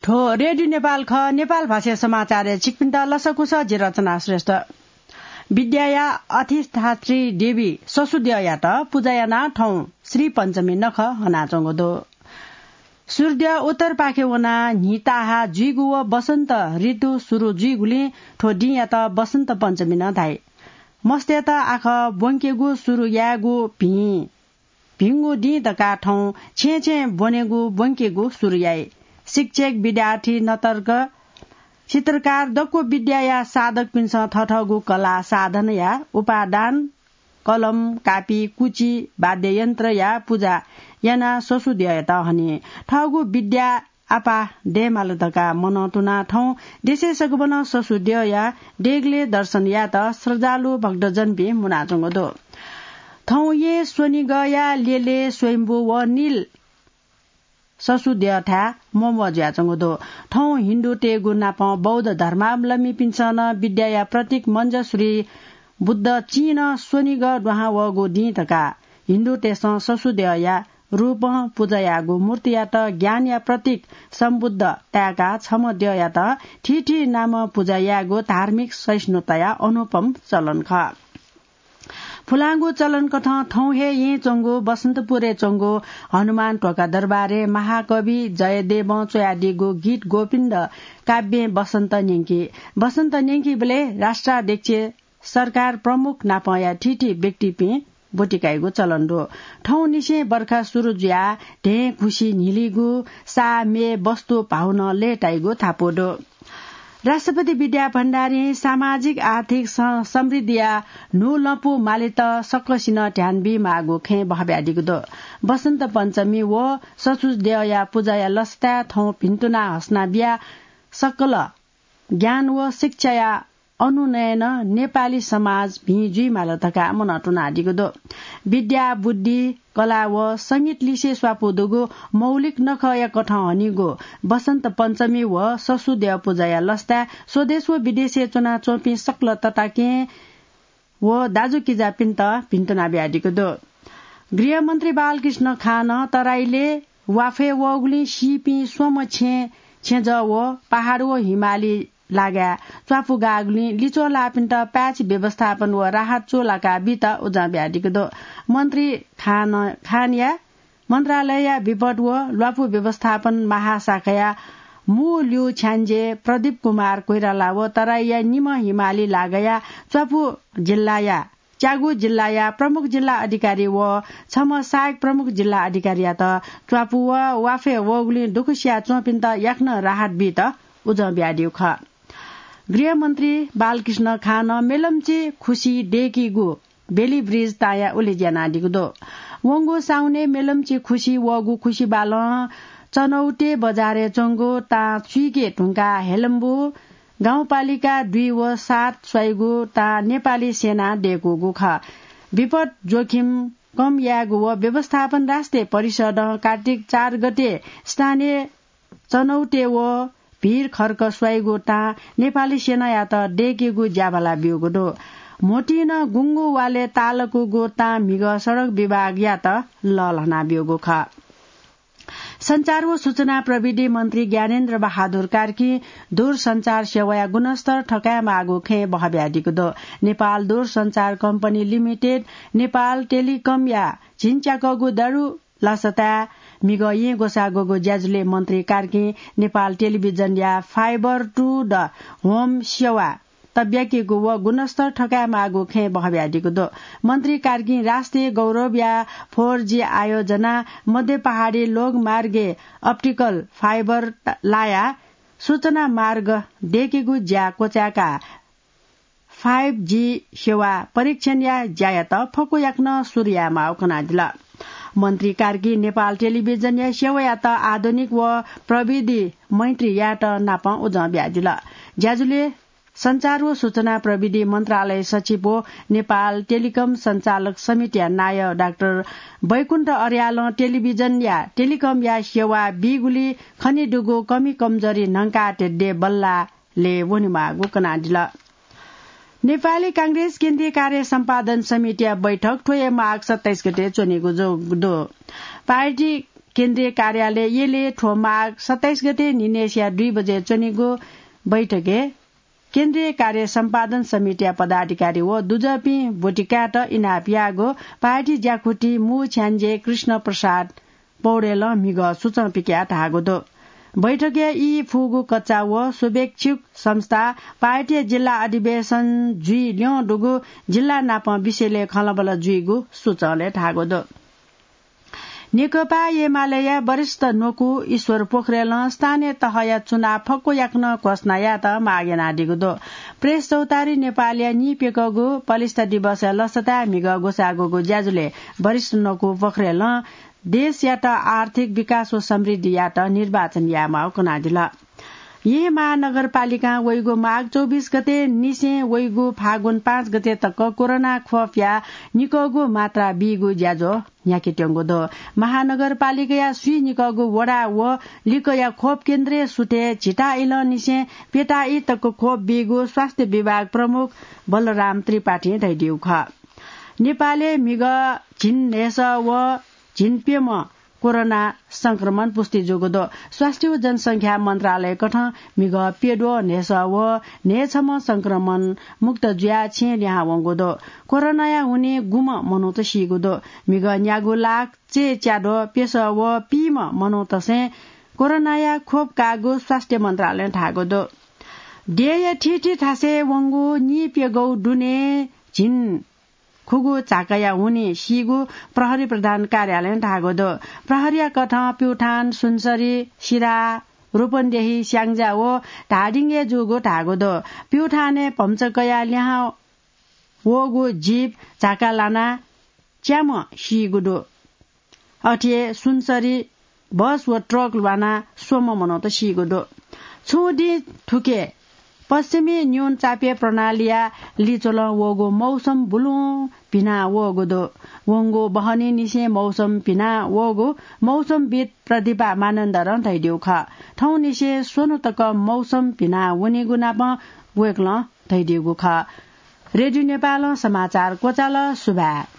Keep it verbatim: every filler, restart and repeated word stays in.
थ्व रेडियो नेपाल खः, नेपाल भाषा समाचारय् छिकपिन्त लसकुस, जि रचना श्रेष्ठ। विद्याया अधिष्ठात्री देवी ससुद्यःयात पुजा यानाः थौं श्री पञ्चमी नखः हनाच्वंगु दु। सूर्य उत्तरपाखे वनाः न्हि ताहाः जुइगु व वसन्त ऋतु सुरु जुइगुलिं थ्व दिंयात वसन्त पञ्चमी नं धाइ। मस्तय्त आखः ब्वंकेगु सुरु यायेगु भिं भिंगु दिं धकाः थौं छेँय् छेँय् ब्वनेगु ब्वंकेगु सुरु याइ। शिक्षक, विद्यार्थी, नतर्क, चित्रकार, दक्व विद्याया साधकपिन्सं थथःगु कला साधनया उपादान, कलम, कापी, कुची, वाद्ययन्त्रया पुजा यानाः ससुद्यःयात हनी। थःगु विद्या आपाः दयेमाल धकाः मनंतुनाः थौं देशय् सगुबलं ससुद्यःया देगलय् दर्शन यायेत श्रद्धालु भक्तजनपिं मुनाच्वंगु दु। थौं येँ स्वनिगःया ल्यलय् स्वयम्भू व नील ससुद्यःथाय् म्वम्वः जुयाच्वंगु दु। थौं हिन्दूतय्गु नापं बौद्ध धर्मावलम्बीपिन्सं नं विद्याया प्रतीक मञ्जश्री बुद्ध चिं नं स्वनिगः दुहां वःगु दिं धकाः हिन्दूतय्सं ससुद्यःया रूपं पुजा याःगु मूर्तियात ज्ञानया प्रतीक सम्बुद्ध ताय्काः छम्ह द्यःयात थीथी नामं पुजा यायेगु धार्मिक सहिष्णुताया अनुपम चलन खः। पुलांगु चलनकथं थौं हे येँ च्वंगु बसन्तपुरय् च्वंगु हनुमान ध्वाखा दरबारय् महाकवि जयदेवं च्वयादीगु गीत गोविन्द काव्यं बसन्त न्यंकी। बसन्त न्यंकीबलय् राष्ट्राध्यक्ष, सरकार प्रमुख नापंया थीथी व्यक्तिपिं ब्वति काइगु चलन दु। थौंनिसें बर्खा सुरु जुयाः धें खुसि न्हिलिगु, साः, म्ये, वस्तु भाउ नं लय्ताइगु धापू दु। राष्ट्रपति विद्या भण्डारीं सामाजिक आर्थिक स-, समृद्धिया न्हू लँपु मालेत सकसिनं ध्यान बीमाःगु खँय् बहब्यादीगु दु। बसन्त पञ्चमी व ससुद्यःया पुजाया लसताय् थौं भिन्तुना हसना बियाः सकल ज्ञान व शिक्षाया अनुनयनं नेपाली समाज भिं जुइमाल धकाः मनंतुनादीगु दु। विद्या, बुद्धि, कला व संगीत लिसे स्वापू दुगु मौलिक नखःया कथं हनीगु बसन्त पञ्चमी व ससुद्यः पुजाया लसताय् स्वदेश व विदेशय् च्वनाच्वंपिं सकल तताकेहेँ व दाजुकिजापिन्त भिन्तुना बियादीगु दु। गृहमन्त्री बालकृष्ण खानं तराईलय् वाफय् वःगुलिं सीपिं स्वम्ह छेँ छेँजः व पहाड व हिमाली लागाय् च्वापु गाःगुलिं लिच्वः लाःपिन्त प्याच व्यवस्थापन व राहत चूलाका बीत उजं बियादीगु दु। मन्त्री खान, खानया मन्त्रालयया विपद व ल्वापु व्यवस्थापन महाशाखाया मू ल्यू छ्याञ्जे प्रदीप कुमार कोइराला व तराईया निम्ह हिमाली लागाया च्वापु जिल्लाया च्यागू जिल्लाया प्रमुख जिल्ला अधिकारी व छम्ह सहायक प्रमुख जिल्ला अधिकारीयात च्वापु व वाफय् वःगुलिं दुःख सिया च्वंपिन्त याकनं राहत बीत उजं बियादीगु खः। गृहमन्त्री बालकृष्ण खानं मेलम्ची खुसी दय्कीगु बेली ब्रिज ताँया उलेज्यू यानादीगु दु। वंगु साउनय् मेलम्ची खुसी वःगु खुसी बालं चनौटे बजारय् च्वंगु ताँ चुइके धुंकाः हेलम्बु गाउँपालिका दुई व सात स्वाइगु ताँ नेपाली सेनां दय्कूगु खः। विपद जोखिम कम यायेगु व व्यवस्थापन राष्ट्रिय परिषदं कार्तिक चार गते स्थानीय चनौटे व भीर खर्क स्वाइगु ताँ नेपाली सेनायात दय्केगु ज्याभाला ब्यूगु दु। म्होतिं नं गुंगू वालय् तालकूगु ताँ म्हिगः सडक विभागयात लःल्हाना ब्यूगु खः। सञ्चार व सूचना प्रविधि मन्त्री ज्ञानेन्द्र बहादुर कार्कीं दूरसञ्चार सेवाया गुणस्तर थकायेमाःगु खँय् बहब्यादीगु दु। नेपाल दूरसञ्चार कम्पनी लिमिटेड, नेपाल टेलिकमया झिंच्याकःगु दारु लसताय् म्हिगः येँ ग्वसाः ग्वःगु ज्याझ्वलय् मन्त्री कार्कीं नेपाल टेलिभिजनया fiber to the home सेवा तब्याकीगु व गुणस्तर थकायेमाःगु खँय् बहब्यादीगु दु। मन्त्री कार्कीं राष्ट्रिय गौरवया four G आयोजना, मध्य पहाडी लोकमार्गय् optical fiber लायाः सूचना मार्ग दय्केगु ज्या क्वचाय्काः five G सेवा परीक्षणया ज्यायात फक्व याकनं सुरु यायेमाःगु कनादिल। मन्त्री कार्कीं नेपाल टेलिभिजनया सेवायात आधुनिक व प्रविधि मैत्री यायेत नापं उजं बियादिल। ज्याझ्वलय् सञ्चार व सूचना प्रविधि मन्त्रालय सचिव व नेपाल टेलिकम सञ्चालक समितिया नायः डाक्टर बैकुण्ठ अर्यालं टेलिभिजनया टेलिकमया सेवा बीगुली खनेदुगु कमी कमजोरी न्हंकाः धेद्यः बल्लाः लय् वनेमाःगु कनादिल। नेपाली कांग्रेस केन्द्रीय कार्य सम्पादन समितिया बैठक थ्व हे माघ सत्ताइस गते च्वनेगु जु-, दु। पार्टी केन्द्रीय कार्यालय येले थ्व माघ सत्ताइस गते निनेसिया दुई बजे च्वनीगु बैठकय् केन्द्रीय कार्य सम्पादन समितिया पदाधिकारी व दुजःपिं ब्वति कायेत इनाप याःगु पार्टी ज्याकुथि मू छ्याञ्जे कृष्ण प्रसाद पौडेलं म्हिगः सुचं पिकयाः धाःगु दु। बैठकय् ई फुगु कच्चा व शुभेच्छुक संस्था पार्टीया जिल्ला अधिवेशन जुइ ल्यं दुगु जिल्ला नापं विषयलय् खँल्हाबल्हा जुइगु सुचंलय् धाःगु दु। नेकपा एमालेया वरिष्ठ न्वकू ईश्वर पोखरेलं स्थानीय तहया चुनाव फक्व याकनं घोषणा यायेत माग यानादीगु दु। प्रेस चौतारी नेपालया नीप्यकःगु पलिस्था दिवसया लसताय् म्हिगः ग्वसाःगुगु ज्याझ्वलय् वरिष्ठ न्वकू पोखरेलं देशयात आर्थिक विकास व समृद्धियात निर्वाचन यायेमाःगु कनादिल। येँ महानगरपालिकां वइगु माघ चौबिस गते निसें वइगु फागुन पाँच गते तक कोरोना खोपया निकःगु मात्रा बीगु ज्याझ्वः न्ह्याकेत्यंगु दु। महानगरपालिकाया स्वीनिकःगु वडा व लिकया खोप केन्द्रय् सुथय् झिता इलंनिसें प्यता ई तक खोप बीगु स्वास्थ्य विभाग प्रमुख बलराम त्रिपाठीं धयादीगु खः। नेपालय् म्हिगः झिंन्हय्‌सः व झिंप्यम्ह कोरोना संक्रमण पुष्टि जूगु दु। स्वास्थ्य व जनसंख्या मन्त्रालयकथं म्हिगः प्यद्वः न्हय्‌सः व न्हय्‌छम्ह संक्रमण मुक्त जुयाः छेँ लिहां वंगु दु। कोरोनाया हुनिं गुम्ह मनूत सीगु दु। म्हिगः न्यागू लाख चय्‌च्याद्वः प्यसः व पीम्ह मनूतय्‌सं कोरोनाया खोप काःगु स्वास्थ्य मन्त्रालयं धाःगु दु। देय्‌या थीथी थासय् वंगु नीप्यगौ दुने झिंन्हय् खुगू झाकाया हुनिं सीगु प्रहरी प्रधान कार्यालयं धाःगु दु। प्रहरीया कथं प्युठान, सुनसरी, सिराहा, रूपन्देही, स्याङ्जा व धादिङय् जूगु धाःगु दु। प्युठानय् भम्चा कयाः लिहां वःगु जीप झाका लानाः च्याम्ह सीगु दु। अथे हे सुनसरी बस व ट्रक ल्वानाः स्वम्ह मनूत सीगु दु। छुं दिं थुखे पश्चिमी न्यूनचापीय प्रणालीया लिच्वलं वःगु मौसम बुलुं भिना वःगु दु। वंगु बहनीनिसें मौसम भिना वःगु मौसमविद् प्रदीपा मानन्धरं धयादीगु खः। थौंनिसें स्वन्हु तक मौसम भिना वनीगु नापं वय्‌कलं धयादीगु खः। रेडियो नेपालं समाचार क्वचाल। सुभाय्।